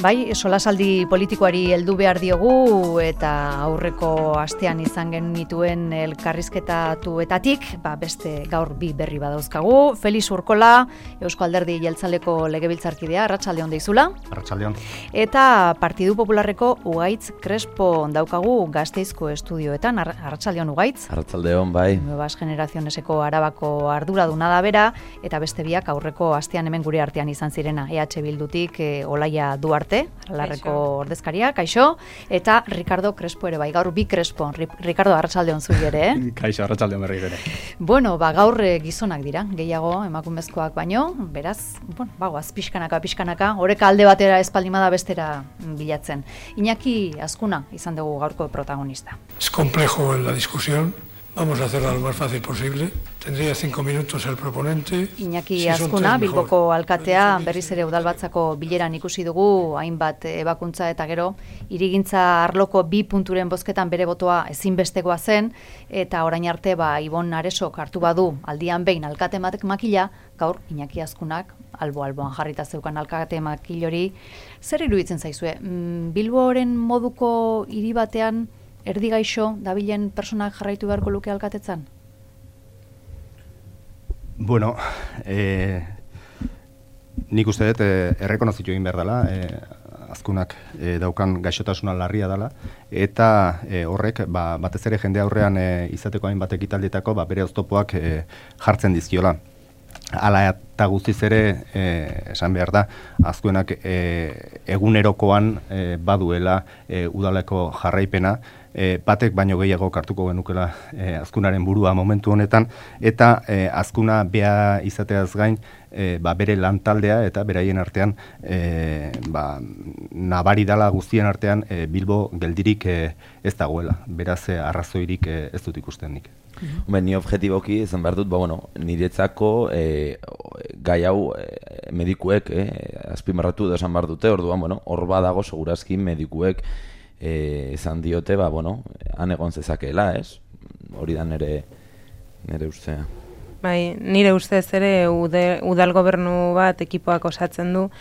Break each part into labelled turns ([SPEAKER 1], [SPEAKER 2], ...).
[SPEAKER 1] Bai, solasaldi politikoari heldu behar diogu eta aurreko astean izan genituen elkarrizketatuetatik, beste gaur bi berri badauzkagu. Felix Urkola, Eusko Alderdi Jeltzaleko legebiltzarkidea, arratsalde on deizula.
[SPEAKER 2] Arratsalde on.
[SPEAKER 1] Eta Partidu Popularreko Ugaitz Crespo daukagu Gasteizko estudioetan. Arratsalde on Ugaitz.
[SPEAKER 3] Arratsalde on, bai.
[SPEAKER 1] Nuevas Generacioneseko Arabako arduraduna da bera, eta beste biak aurreko astean hemen gure artean izan zirena. EH Bildutik Olaia Duarte, Aralarreko ordezkaria, kaixo, eta Ricardo Crespo ere bai, gaur bi Crespo. Ricardo, arratsalde on zuri ere,
[SPEAKER 2] Kaixo, arratsalde on berriro ere.
[SPEAKER 1] Bueno, gaur gizonak dira, gehiago emakumezkoak baino, beraz, goaz pixkanaka, oreka alde batera espaldimada bestera bilatzen. Iñaki Azkuna izan dugu gaurko protagonista.
[SPEAKER 4] Es complejo en la discusión. Vamos a hacerla lo más fácil posible. Tendría 5 minutos el proponente.
[SPEAKER 1] Iñaki Azkuna, Bilboko alkatea, berriz ere udalbatzako bileran ikusi dugu, hainbat ebakuntza eta gero, hirigintza arloko 2 punturen bozketan bere botoa ezinbestekoa zen, eta orain arte Ibon Aresok hartu badu aldian behin alkate makila, gaur Iñaki Azkunak albo-alboan jarrita zeukan alkate makil hori. Zer iruditzen zaizue? Bilboren moduko hiri batean erdi gaixo dabilen personak jarraitu beharko luke alkatetzan?
[SPEAKER 2] Bueno, nik uste dut errekonozitu egin behar dela, Azkunak daukan gaixotasuna larria dela, eta horrek batez ere jende aurrean izateko hainbat ekitaldietako bere oztopoak jartzen dizkiola. Hala eta guztiz ere, esan behar da, Azkunak egunerokoan baduela udaleko jarraipena, batek baino gehiago hartuko genukela Azkunaren burua momentu honetan, eta Azkuna bea izateaz gain bere lantaldea eta beraien artean nabari dala guztien artean Bilbo geldirik ez dagoela, beraz arrazoirik ez dut ikusten nik.
[SPEAKER 3] Ni objetiboki izan behar dut, niretzako gai hau medikuek azpimarratu edo esan behar dute, orduan, hor badago segurazki medikuek izan diote, han egon zezakeela, ez? Hori da nire ustea.
[SPEAKER 5] Bai, nire ustez ere udal gobernu bat ekipoak osatzen du,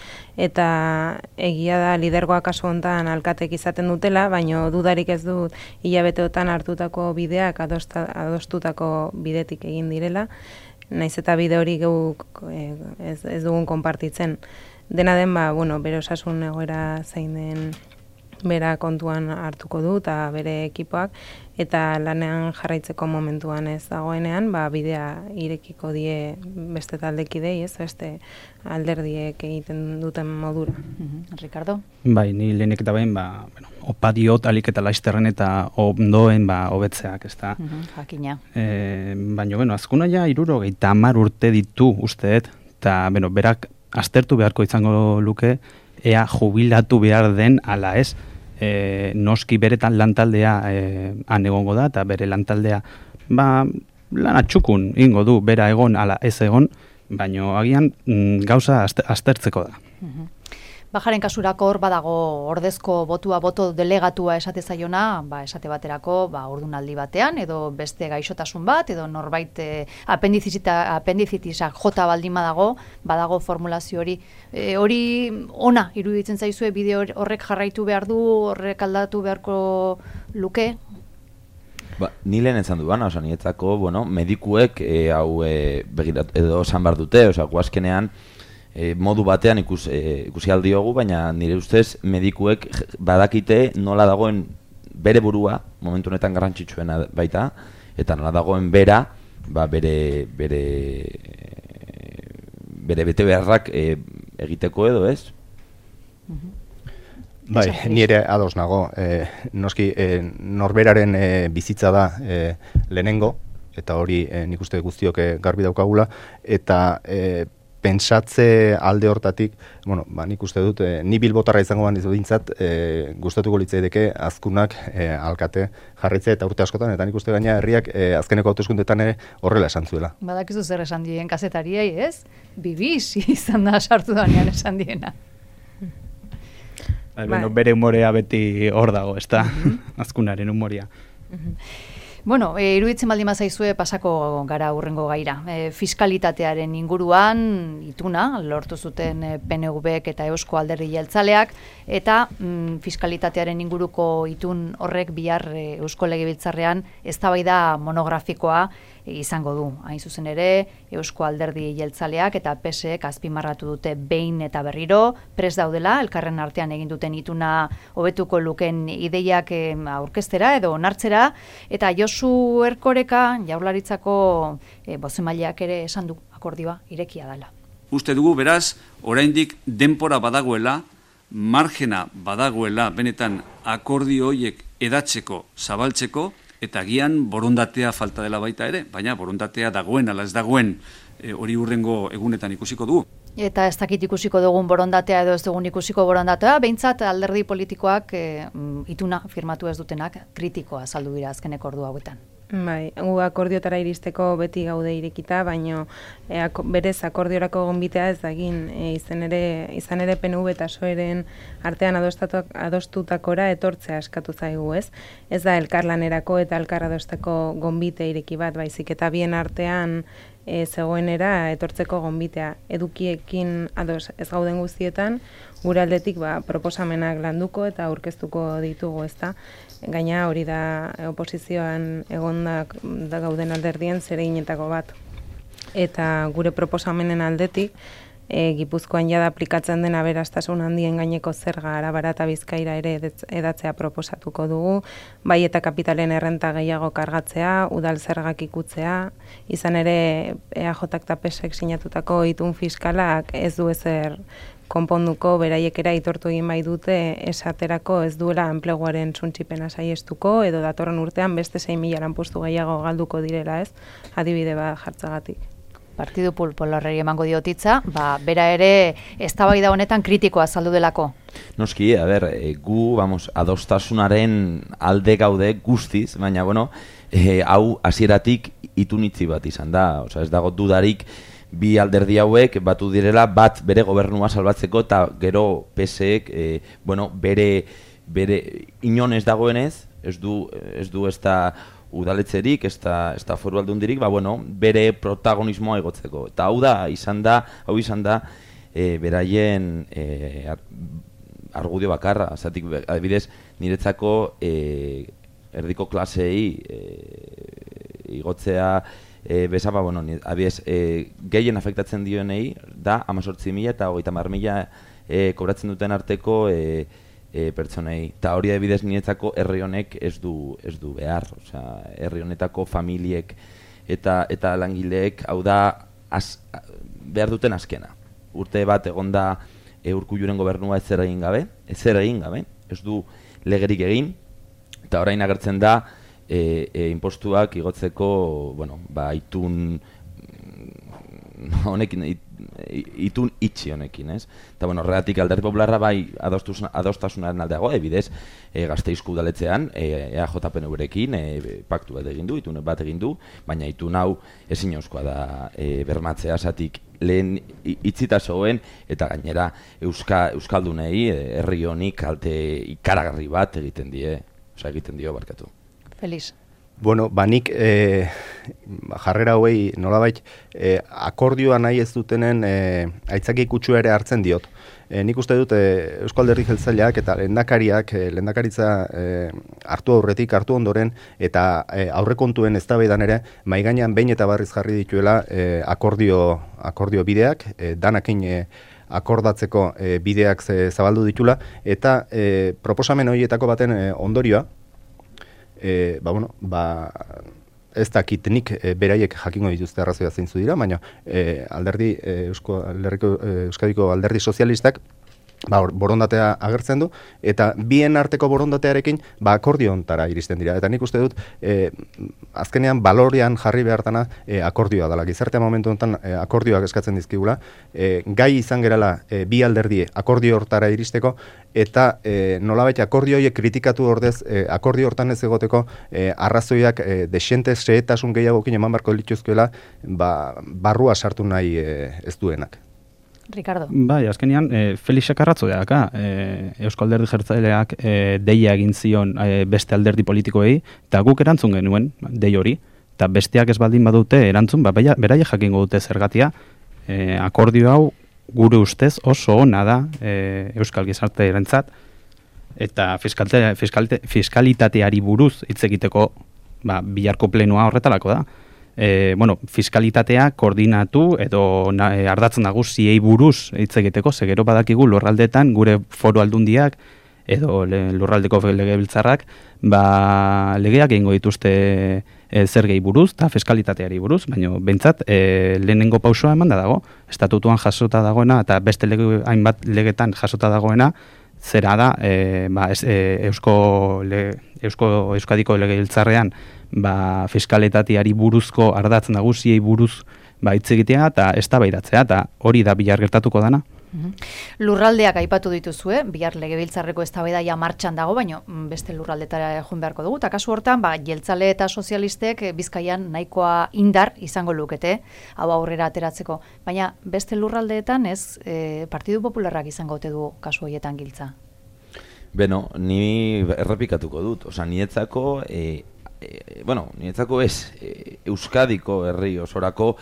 [SPEAKER 5] eta egia da lidergoak kasu hontan alkatek izaten dutela, baino dudarik ez dut hilabeteotan hartutako bideak adostutako bidetik egin direla, naiz eta bide hori geuk ez dugun konpartitzen. Dena den, bere osasun egoera zein den bera kontuan hartuko du eta bere ekipoak, eta lanean jarraitzeko momentuan ez dagoenean, bidea irekiko die beste taldekidei, ez beste alderdiek egiten duten modura.
[SPEAKER 1] Ricardo?
[SPEAKER 6] Bai, ni lehenik eta behin, opa diot alik eta laizterren eta ondoen hobetzeak, ez da.
[SPEAKER 1] Jakina.
[SPEAKER 6] Baina, Azkuna ja 70 urte ditu usteet, eta berak aztertu beharko izango luke, ea jubilatu behar den ala ez. Noski beretan lantaldea han egongo da, eta bere lantaldea lana txukun ingo du, bera egon ala ez egon, baino agian gauza aztertzeko da.
[SPEAKER 1] Bajaren kasurako hor badago ordezko boto delegatua esate zaiona, esate baterako ordunaldi batean, edo beste gaixotasun bat, edo norbait apendizitisak jota baldin badago formulazio hori. Hori ona iruditzen zaizue, bide horrek jarraitu behar du, horrek aldatu beharko luke?
[SPEAKER 3] Ni lehen esan duan, nietzako, medikuek hau begirat edo esan behar dute, guazkenean, modu batean ikusi aldiogu, baina nire ustez medikuek badakite nola dagoen bere burua, momentu honetan garrantzitsuena baita, eta nola dagoen bere bete beharrak egiteko edo, ez?
[SPEAKER 2] Bai, nire ados nago. Noski, norberaren bizitza da lehenengo, eta hori nik uste guztiok garbi daukagula, eta pentsatze alde hortatik, nik uste dut, ni bilbotarra izango dintzat, gustatuko litzaideke Azkunak alkate jarritzea eta urte askotan, eta nik uste gaina herriak azkeneko hauteskundetan ere horrela esan zuela.
[SPEAKER 1] Badakizu zer esan dien kazetariei, ez? Bibiz izan da sartu danean esan diena.
[SPEAKER 6] Bere humorea beti hor dago, ez da, Azkunaren humorea.
[SPEAKER 1] Bueno, iruditzen baldin bazaizue pasako gara hurrengo gaira. Fiskalitatearen inguruan ituna lortu zuten PNV-ek eta Eusko Alderdi Jeltzaleak, eta fiskalitatearen inguruko itun horrek bihar Eusko Legebiltzarrean eztabaida monografikoa izango du. Hain zuzen ere, Eusko Alderdi Jeltzaleak eta PSek azpimarratu dute behin eta berriro, prest daudela, elkarren artean egin duten ituna hobetuko luken ideiak aurkeztera edo onartzera, eta Josu Erkoreka Jaurlaritzako bozemaileak ere esan du akordioa irekia dela.
[SPEAKER 7] Uste dugu beraz, oraindik denpora badagoela, margena badagoela benetan akordio horiek edatzeko, zabaltzeko, eta gian borondatea falta dela baita ere, baina borondatea dagoen, ala ez dagoen, hori hurrengo egunetan ikusiko dugu.
[SPEAKER 1] Eta ez dakit ikusiko dugun borondatea edo ez dugun ikusiko borondatea, behintzat alderdi politikoak ituna firmatu ez dutenak kritikoa azaldu dira azkeneko ordu hauetan.
[SPEAKER 5] Bai, akordiotara iristeko beti gaude irekita, baino berez akordiorako gonbitea ez dagin, izan ere PNV eta PSOEren artean adostutakora etortzea eskatu zaigu, ez? Ez da elkarlanerako eta elkar adosteko gonbite ireki bat, baizik eta bien artean zegoenera etortzeko gonbitea. Edukiekin ados ez gauden guztietan, gure aldetik proposamenak landuko eta aurkeztuko ditugu, ezta? Gaina hori da oposizioan egondak da gauden alderdien zereginetako bat. Eta gure proposamenen aldetik, Gipuzkoan jada aplikatzen den aberastasun handien gaineko zerga Arabara eta Bizkaira ere edatzea proposatuko dugu, bai eta kapitalen errenta gehiago kargatzea, udal zergak ikutzea, izan ere EAJak eta PSek sinatutako itun fiskalak ez du ezer konponduko, beraiekera aitortu egin bai dute esaterako ez duela enpleguaren suntsipena saiestuko, edo datorren urtean beste 6.000 lanpostu gehiago galduko direla, ez? Adibide bat jartzagatik.
[SPEAKER 1] Partidu Popularrari emango diotitza, bera ere eztabaida honetan kritikoa azaldu delako.
[SPEAKER 3] Noski, gu, adostasunaren alde gaude guztiz, baina, hau hasieratik itunitzi bat izan da, ez dago dudarik bi alderdi hauek batu direla bat bere gobernua salbatzeko eta gero PSek, bere inon ez dagoenez, ez du ez da udaletzerik, ez da foru aldundirik, bere protagonismoa egotzeko. Eta hau izan da, beraien argudio bakarra. Zatik, adibidez, niretzako erdiko klasei igotzea bezapa, adibidez, gehien afektatzen dionei da 18.000 eta 30.000 kobratzen duten arteko pertsonei. Eta hori adibidez niretzako herri honek ez du behar. Herri honetako familiek eta langileek hau da behar duten azkena. Urte bat egonda Urkulluren gobernua ezer egin gabe, ez du legerik egin, eta orain agertzen da impostuak igotzeko, itun honekin, itun itxi honekin, ez? Eta, horregatik Alderdi Popularra bai adostasunaren aldeago, ebidez, Gasteizko udaletzean, EAJ-PNV-rekin paktu bat egin du, itun bat egin du, baina itun hau ezinezkoa da bermatzea, zatik lehen itzita zegoen, eta gainera Euskaldunei, herri honi kalte ikaragarri bat egiten dio barkatu.
[SPEAKER 1] Feliz.
[SPEAKER 2] Nik jarrera hauei nolabait akordioa nahi ez dutenen aitzaki kutsua ere hartzen diot. Nik uste dut Eusko Alderdi Jeltzaleak eta lehendakaritza hartu ondoren eta aurrekontuen eztabaidan ere mahai gainean behin eta berriz jarri dituela akordio bideak, danakin akordatzeko bideak zabaldu ditula, eta proposamen horietako baten ondorioa, ez dakit nik beraiek jakingo dituzte arrazoia zeintzu dira, baina Euskadiko Alderdi Sozialistak borondatea agertzen du, eta bien arteko borondatearekin akordio hontara iristen dira. Eta nik uste dut, azkenean balorean jarri behartana akordioa dela. Gizartea momentu honetan akordioak eskatzen dizkigula, gai izan gerala bi alderdi akordio hortara iristeko, eta nolabait akordio horiek kritikatu ordez, akordio hortan ez egoteko arrazoiak desente xehetasun gehiagokin eman barko lituzkoela, barrua sartu nahi ez duenak.
[SPEAKER 1] Ricardo.
[SPEAKER 6] Bai, azkenean, Felix Akarratzo daka, Eusko Alderdi Jeltzaleak deia egin zion beste alderdi politikoei, eta guk erantzun genuen, dei hori, eta besteak ez baldin badute erantzun, beraia jakingo dute zergatia, akordio hau gure ustez oso ona da Euskal Gizarte erantzat, eta fiskalitateari buruz hitz egiteko biharko plenoa horretarako da. Fiskalitatea koordinatu edo ardatz nagusiei buruz hitz egiteko, ze gero badakigu lurraldetan gure foru aldundiak edo lurraldeko legebiltzarrak legeak egingo dituzte zergei buruz eta fiskalitateari buruz, baina behintzat lehenengo pausoa emanda dago, estatutuan jasota dagoena eta beste hainbat legetan jasota dagoena, zera da Euskadiko legebiltzarrean fiskalitateari buruzko ardatz nagusiei buruz hitz egitea eta eztabaidatzea, eta hori da bihar gertatuko dana.
[SPEAKER 1] Lurraldeak aipatu dituzue, bihar legebiltzarreko eztabaida martxan dago, baina beste lurraldetara joan beharko dugu, eta kasu hortan, jeltzale eta sozialistek Bizkaian nahikoa indar izango lukete, hau aurrera ateratzeko, baina beste lurraldeetan ez Partidu Popularrak izango ote du kasu horietan giltza?
[SPEAKER 3] Beno, ni errepikatuko dut, niretzako ez, Euskadiko herri osorako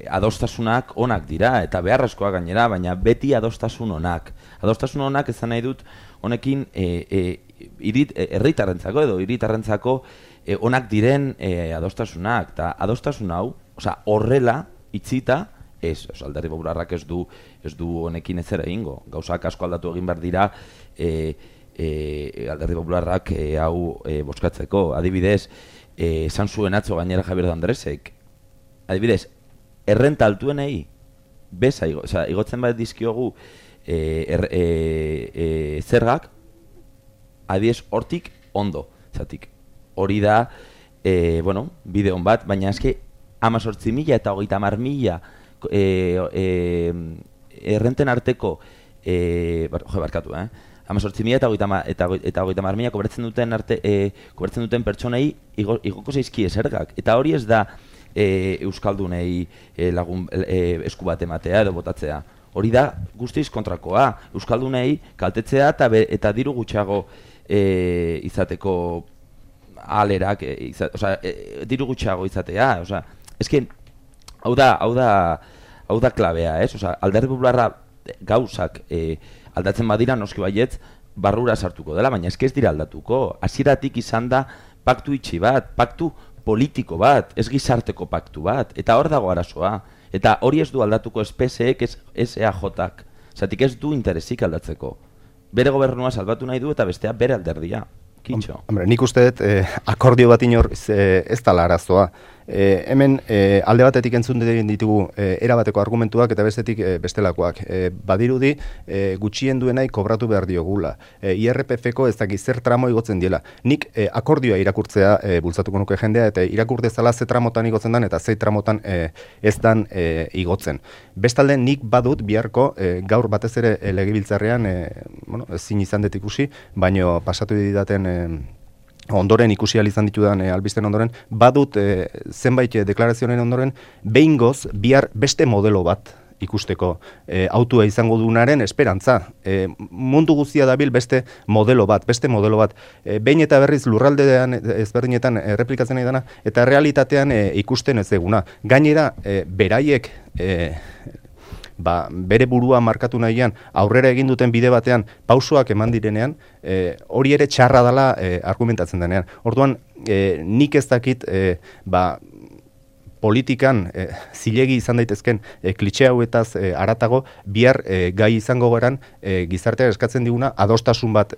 [SPEAKER 3] adostasunak onak dira, eta beharrezkoak gainera, baina beti adostasun onak. Adostasun onak ezan nahi dut, honekin herritarrentzako edo hiritarrentzako onak diren adostasunak, eta adostasun hau, horrela itzita, Alderdi Popularrak ez du honekin ezer egingo. Gauzak asko aldatu egin behar dira Alderdi Popularrak hau bozkatzeko. Adibidez, esan zuen atzo gainera Javier de Andresek, adibidez, errenta altuenei beza, igotzen bat dizkiogu zergak, adibidez, hortik ondo, zatik. Hori da, bideon bat, baina eske 18.000 eta 30.000 errenten arteko, barkatu, 18.000 eta 30.000 kobratzen duten pertsonei igoko zaizkie zergak, eta hori ez da Euskaldunei lagun esku bat ematea edo botatzea. Hori da guztiz kontrakoa. Euskaldunei kaltetzea eta diru gutxiago izateko alerak, diru gutxiago izatea. Ezken, hau da klabea, ez? Alderdi Popularra gauzak aldatzen badira noski baietz barrura sartuko dela, baina ez dira aldatuko. Hasieratik izan da paktu itxi bat, paktu politiko bat, ez gizarteko paktu bat, eta hor dago arazoa. Eta hori ez du aldatuko SPSek, ez EAJak. Zatik ez du interesik aldatzeko. Bere gobernua salbatu nahi du eta bestea bere alderdia. Kitxo.
[SPEAKER 2] Nik uste dut akordio bat inor ez dala arazoa. Hemen alde batetik entzun ditugu erabateko argumentuak eta bestetik bestelakoak. Badirudi gutxien duenai kobratu behar diogula. IRPF-ko ez dakiz zer tramo igotzen diela. Nik akordioa irakurtzea bultzatuko nuke jendea eta irakur dezala ze tramotan igotzen dan eta ze tramotan ez dan igotzen. Bestalde nik badut biharko gaur batez ere legebiltzarrean ezin izan dut ikusi, baino pasatu didaten ondoren ikusi izan ditudan albisten ondoren, badut zenbait deklarazioen ondoren, behingoz bihar beste modelo bat ikusteko autua izango dunaren esperantza. Mundu guztia dabil beste modelo bat. Behin eta berriz lurraldean ezberdinetan erreplikatzen nahi dana, eta realitatean ikusten ez eguna. Gainera, beraiek bere burua markatu nahian aurrera egin duten bide batean pausoak eman direnean, hori ere txarra dela argumentatzen denean. Orduan, nik ez dakit politikan zilegi izan daitezken klitxe hauetaz haratago, bihar gai izango geran gizartea eskatzen diguna adostasun bat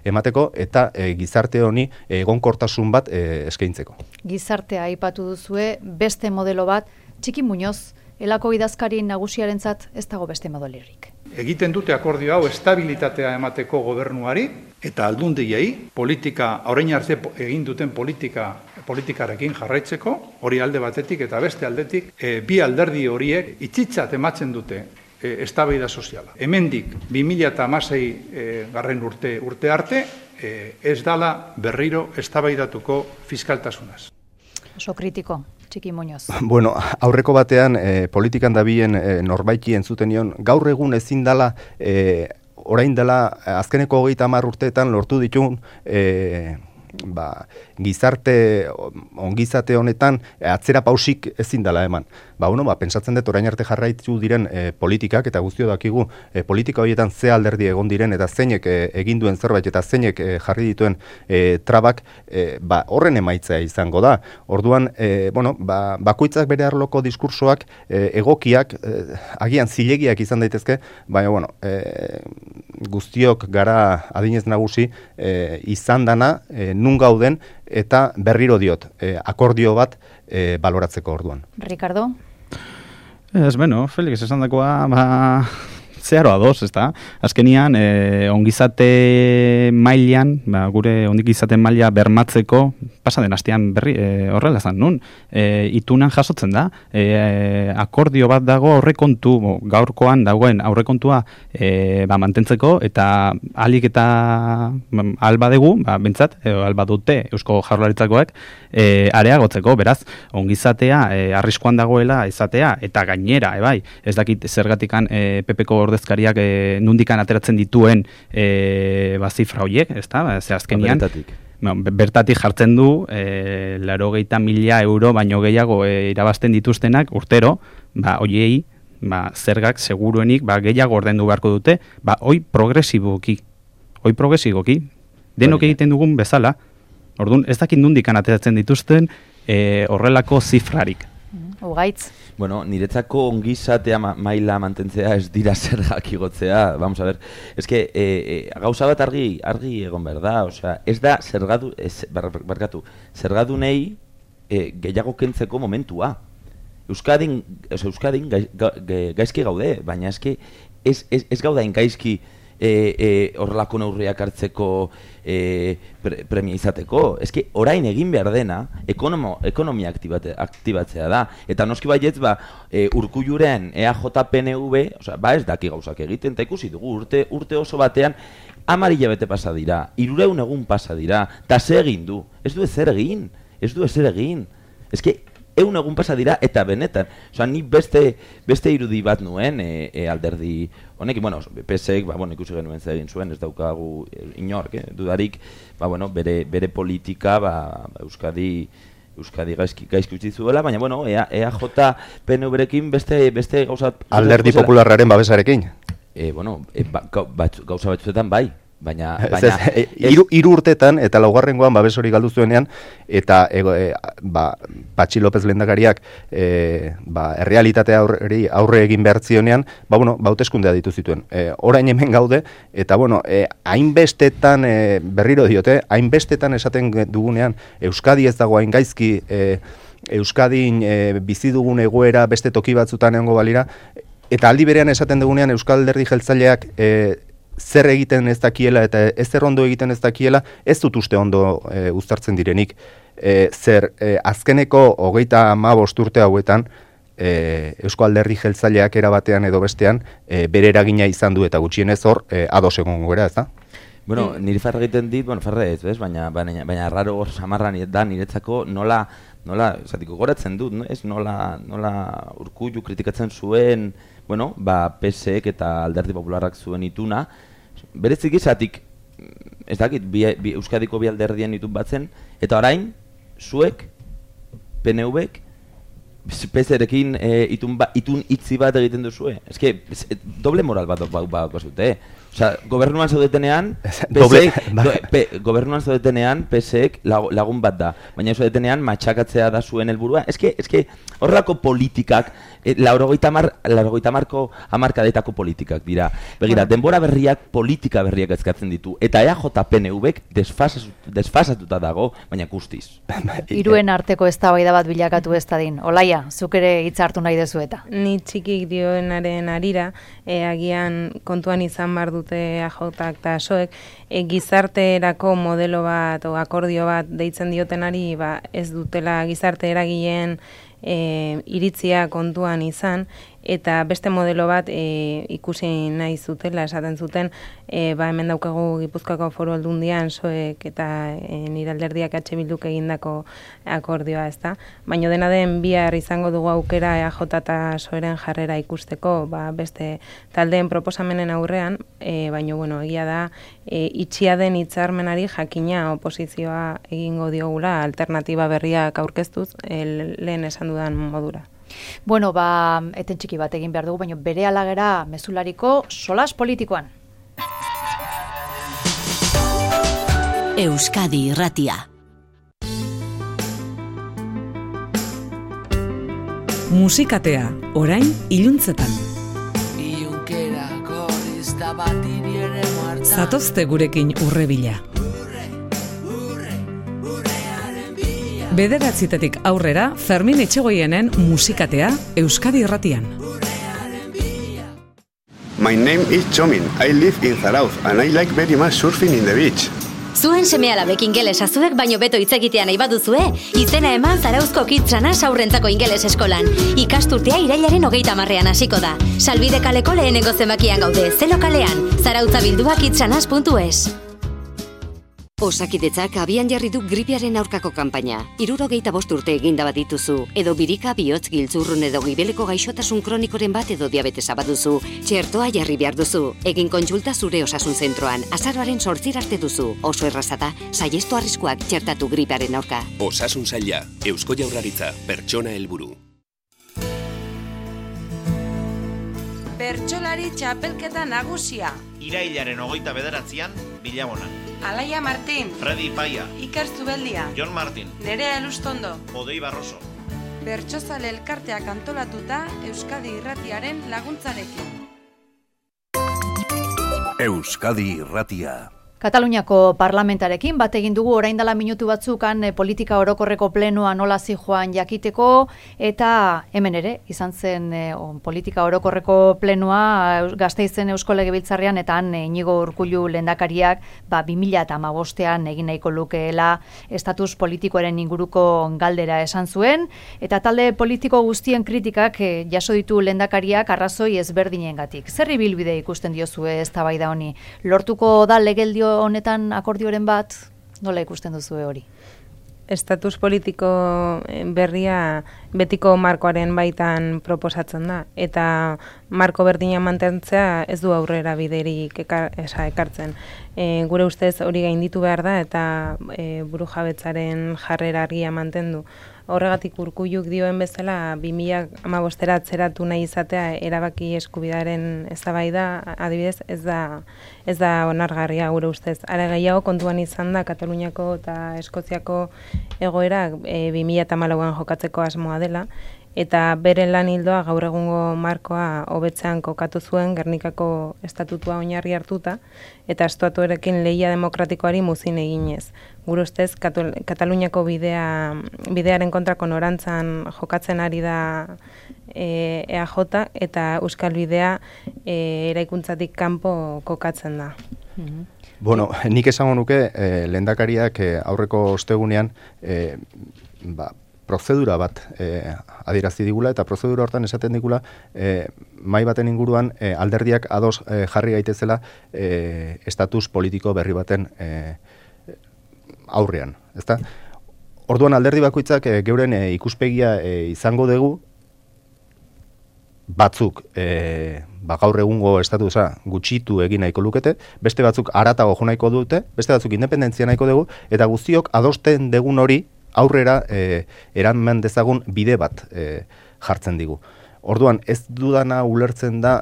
[SPEAKER 2] emateko eta gizarte honi egonkortasun bat eskaintzeko.
[SPEAKER 1] Gizartea aipatu duzue, beste modelo bat, Txiki Muñoz, Elako idazkari nagusiarentzat ez dago beste modelerrik.
[SPEAKER 8] Egiten dute akordio hau estabilitatea emateko gobernuari eta aldundiei politika, orain arte egin duten politikarekin jarraitzeko, hori alde batetik eta beste aldetik, bi alderdi horiek itxitzat ematzen dute eztabaida soziala. Hemendik 2016 garren urte arte ez dala berriro eztabaidatuko fiskaltasunaz.
[SPEAKER 1] Oso kritiko. Txiki Muñoz.
[SPEAKER 2] Bueno, aurreko batean politikan dabien norbaiti entzuten nion, gaur egun ezin dela, orain dela azkeneko 30 urteetan lortu ditun ongizate honetan atzera pausik ezin dela eman. Pentsatzen dut orain arte jarraitu diren politikak, eta guztio dakigu politika horietan ze alderdi egon diren, eta zeinek egin duen zerbait, eta zeinek jarri dituen trabak, horren emaitza izango da. Orduan, bakoitzak bere arloko diskursoak egokiak, agian zilegiak izan daitezke, baina, guztiok gara adinez nagusi izan dana, nun gauden, eta berriro diot, akordio bat baloratzeko orduan.
[SPEAKER 1] Ricardo?
[SPEAKER 6] Felix, esan dakoa, zeharo ados, ez da? Azkenian, ongizate mailan, gure ongizate maila bermatzeko, pasaden astean berri, horrela zan, nun? Itunan jasotzen da, akordio bat dago aurrekontu, gaurkoan dagoen aurrekontua mantentzeko, eta alik eta alba dugu, bentsat, alba dute Eusko Jaurlaritzakoak, areagotzeko, beraz, ongizatea arriskuan dagoela izatea, eta gainera, ez dakit zergatikan PPko ordezkariak nundikan ateratzen dituen zifra horiek, ez da? Azkenian, bertatik jartzen du 80.000 euro baino gehiago irabazten dituztenak urtero, horiei zergak seguruenik gehiago ordaindu beharko dute, hoi progresiboki, denok egiten dugun bezala. Orduan, ez dakit nundikan ateratzen dituzten horrelako zifrarik.
[SPEAKER 1] Ugaitz.
[SPEAKER 3] Bueno, niretzako ongizatea maila mantentzea ez dira zergak igotzea, vamos a ver. Ez que, gauza bat argi egon behar da, osea, ez da zergadunei gehiago kentzeko momentua. Euskadin gaizki gaude, baina ez gaudain gaizki horrelako neurriak hartzeko premia izateko. Ez que orain egin behar dena ekonomia aktibatzea da. Eta noski baietz Urkulluren EAJ-PNV ez daki gauzak egiten, eta ikusi dugu urte oso batean 10 hilabete pasa dira, 300 egun pasa dira, eta ze egin du? Ez du ezer egin. Ez que 100 egun pasa dira, eta benetan. Ni beste irudi bat nuen alderdi honekin, PSek, ikusi genuen zer egin zuen, ez daukagu inork, dudarik, bere politika, Euskadi gaizki utzi zuela, baina, EAJ PNV-rekin beste gauzat...
[SPEAKER 2] Alderdi popularraren babesarekin?
[SPEAKER 3] Gauza batzuetan bai. Baina
[SPEAKER 2] hiru urtetan eta laugarrengoan babes hori galdu zuenean, eta Patxi López lehendakariak errealitatea aurre egin behar zionean, hauteskundea ditu zituen. Orain hemen gaude, eta hainbestetan, berriro diote, hainbestetan esaten dugunean, Euskadi ez dago hain gaizki, Euskadin bizi dugun egoera beste toki batzutan egongo balira, eta aldi berean esaten dugunean Euskal Alderdi Jeltzaleak zer egiten ez dakiela eta ezer ondo egiten ez dakiela, ez dut uste ondo uztartzen direnik. Azkeneko 35 urte hauetan, Eusko Alderdi Jeltzaleak erabatean edo bestean, bere eragina izan du, eta gutxienez hor, ados egongo gara, ez da?
[SPEAKER 3] Bueno, niri farra egiten dit, farra ez, baina raro hor samarra da niretzako nola, zatiko goratzen dut, nola Urkullu kritikatzen zuen, PSek eta Alderdi Popularrak zuen ituna, berezik izatik, ez dakit, Euskadiko bi alderdien itun batzen, eta orain, zuek, PNV-ek, PSrekin itun itzi bat egiten duzue. Ez que, doble moral bat zute, gobernuan zaudetenean, PSek lagun bat da, baina zaudetenean matxakatzea da zuen helburua. Ez que, horrelako politikak, 80 hamarkadetako politikak dira. Begira, denbora berriak, politika berriak ezkatzen ditu, eta EAJ-PNV-ek desfasatuta dago, baina guztiz.
[SPEAKER 1] Hiruen arteko eztabaida bat bilakatu ez dadin. Olaia, zuk ere hitza hartu nahi dezu eta.
[SPEAKER 5] Ni txikik dioenaren arira, agian kontuan izan bar dute EAJak eta PSOek, gizarterako modelo bat o akordio bat deitzen diotenari ez dutela gizarte eragileen iritzia kontuan izan, eta beste modelo bat ikusi nahi zutela, esaten zuten, hemen daukagu Gipuzkoako Foru Aldundian soek eta nire alderdiak Bilduk egindako akordioa, ezta? Baina dena den bihar izango dugu aukera EAJ eta soeren jarrera ikusteko, beste taldeen proposamenen aurrean, baina bueno, egia da itxia den hitzarmenari jakina oposizioa egingo diogula alternatiba berriak aurkeztuz lehen esan dudan modura.
[SPEAKER 1] Bueno, eten txiki bat egin behar dugu, baina bere alagera mezulariko solas politikoan.
[SPEAKER 9] Euskadi Irratia. Musikatea, orain iluntzetan. Zatozte gurekin urrebila. Bederatzitetik aurrera, Fermin Etxegoienen musikatea Euskadi Irratian.
[SPEAKER 10] My name is Txomin. I live in Zarauz and I like very much surfing in the beach.
[SPEAKER 11] Zuen seme-alabek ingelesa zuek baino beto hitz egitea nahi baduzue, izena eman Zarauzko Kitsanas aurrentzako ingeles eskolan. Ikasturtea irailaren 30ean hasiko da. Salbide kaleko lehenengo zenbakian gaude, Zelo kalean, Zarautza bildua kitsanas.es. Osakidetzak abian jarri du gripearen aurkako kanpaina. 75 urte eginda bat dituzu, edo birika, bihotz, giltzurrun edo gibeleko gaixotasun kronikoren bat edo diabetesa baduzu, txertoa jarri behar duzu. Egin kontsulta zure osasun zentroan, azaroaren 8 arte duzu. Oso errazata, saiestu arriskuak txertatu gripearen aurka.
[SPEAKER 12] Osasun saila, Eusko Jaurlaritza, pertsona helburu.
[SPEAKER 13] Bertsolari txapelketa nagusia.
[SPEAKER 14] Irailaren 29an, Bilabonan.
[SPEAKER 13] Alaia Martin,
[SPEAKER 14] Fredi Paia,
[SPEAKER 13] Iker Zubeldia,
[SPEAKER 14] Jon Martin,
[SPEAKER 13] Nerea Elustondo,
[SPEAKER 14] Odei Barroso.
[SPEAKER 13] Bertsozale elkarteak antolatuta Euskadi Irratiaren laguntzarekin.
[SPEAKER 12] Euskadi Irratia.
[SPEAKER 1] Kataluniako parlamentarekin bat egin dugu orain dela minutu batzukan politika orokorreko plenoa nola zijoan jakiteko, eta hemen ere izan zen politika orokorreko plenoa Gasteizen Eusko Legebiltzarrean, eta han Iñigo Urkullu lehendakariak 2015ean egin nahiko lukeela estatus politikoaren inguruko galdera esan zuen, eta talde politiko guztien kritikak jaso ditu lehendakariak arrazoi ezberdinengatik. Zer ibilbide ikusten diozue eztabaida honi? Lortuko da legeldio honetan akordioren bat, nola ikusten duzue hori?
[SPEAKER 5] Estatus politiko berria betiko markoaren baitan proposatzen da, eta marko berdina mantentzea ez du aurrera biderik ekartzen. Gure ustez hori gainditu behar da, eta burujabetzaren jarrera argia mantendu. Horregatik Urkulluk dioen bezala 2015 atzeratu nahi izatea erabaki eskubidaren eztabaida, adibidez, ez da onargarria gure ustez. Are gehiago kontuan izan da Kataluniako eta Eskoziako egoerak 2014an jokatzeko asmoa dela, eta bere lan hildoa gaur egungo markoa hobetzean kokatu zuen Gernikako estatutua oinarri hartuta, eta estatuarekin lehia demokratikoari muzin eginez. Gure ustez, Kataluniako bidearen kontrako norantzan jokatzen ari da EAJ, eta Euskal Bidea eraikuntzatik kanpo kokatzen da.
[SPEAKER 2] Bueno, nik esango nuke lehendakariak aurreko ostegunean prozedura bat adierazi digula, eta prozedura hortan esaten digula mai baten inguruan alderdiak ados jarri gaitezela estatus politiko berri baten aurrean, ezta? Orduan alderdi bakoitzak geuren ikuspegia izango dugu, batzuk gaur egungo estatusa gutxitu egin nahiko lukete, beste batzuk haratago jo nahiko dute, beste batzuk independentzia nahiko dugu, eta guztiok adosten degun hori aurrera eraman dezagun bide bat jartzen digu. Orduan, ez dudana ulertzen da,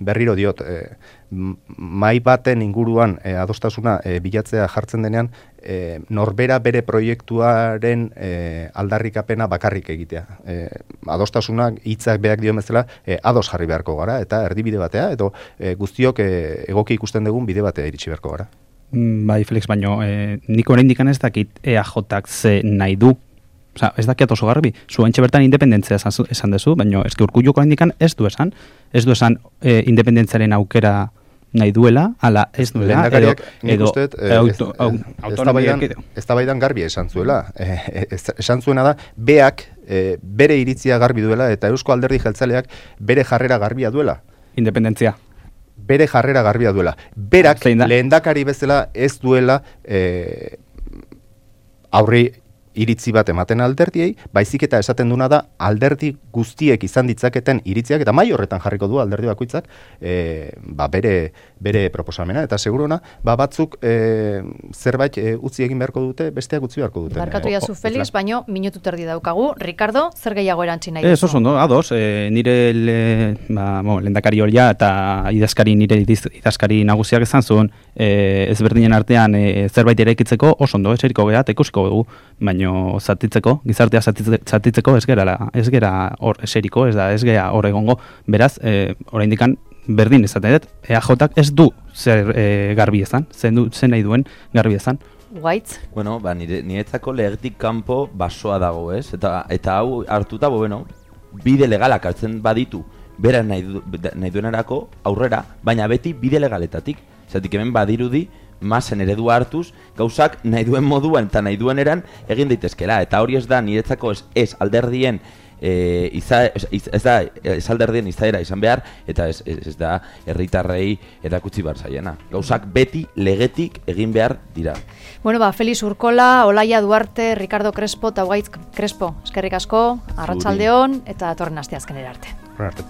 [SPEAKER 2] berriro diot, mai baten inguruan adostasuna bilatzea jartzen denean, norbera bere proiektuaren aldarrikapena bakarrik egitea. Adostasunak hitzak beak dio bezala ados jarri beharko gara, eta erdibide batea, edo guztiok egoki ikusten dugun bide batea iritsi beharko gara.
[SPEAKER 6] Bai, Felix, baino, nik oraindik ez dakit EAJak ze nahi du. Osa, ez dakiat oso garbi, zuentxe bertan independentzia esan dezu, baina eski Urkulluk oraindik ez du esan independentziaren aukera nahi duela, ala ez duela,
[SPEAKER 2] eztabaidan garbi esan zuela. Esan zuena da, beak bere iritzia garbi duela, eta Eusko Alderdi Jeltzaleak bere jarrera garbia duela.
[SPEAKER 6] Independentzia.
[SPEAKER 2] Bere jarrera garbia duela. Berak lehendakari bezala ez duela aurri iritzi bat ematen alderdiei, baizik eta esaten duna da alderdi guztiek izan ditzaketen iritziak, eta mai horretan jarriko du alderdi bakoitzak bere proposamena, eta seguruna batzuk zerbait utzi egin beharko dute, besteak utzi beharko dute.
[SPEAKER 1] Barkatu jazu Felix, baino minutu terdi daukagu. Ricardo, zer gehiago erantzi nahi duzu?
[SPEAKER 6] Ez oso, ados, nire lehendakari horia eta nire idazkari nagusiak izan zuen, ezberdinen artean zerbait eraikitzeko oso ondo, eseriko geha, eta ikusiko dugu, baino zatitzeko, gizartea zatitzeko ez gera hor eseriko, ez gera hor egongo, beraz, oraindikan berdin ezaten dut, EAJak ez du zer garbi ezan, zen nahi duen garbi ezan.
[SPEAKER 1] White?
[SPEAKER 3] Bueno, niretzako legetik kanpo basoa dago, ez? Eta hau hartuta, bide legalak hartzen baditu, bera nahi duenerako aurrera, baina beti bide legaletatik. Zatik hemen badirudi, masen eredua hartuz, gauzak nahi duen moduan eta nahi duen eran egin daitezkela. Eta hori ez da niretzako ez alderdien ez alderdien izaera izan behar, eta ez da herritarrei erakutsi behar zaiena. Gauzak beti legetik egin behar dira.
[SPEAKER 1] Bueno, Felix Urkola, Olaia Duarte, Ricardo Crespo eta Gaitz Crespo, eskerrik asko, arratsaldeon eta datorren asteazkenera arte.
[SPEAKER 2] Arte.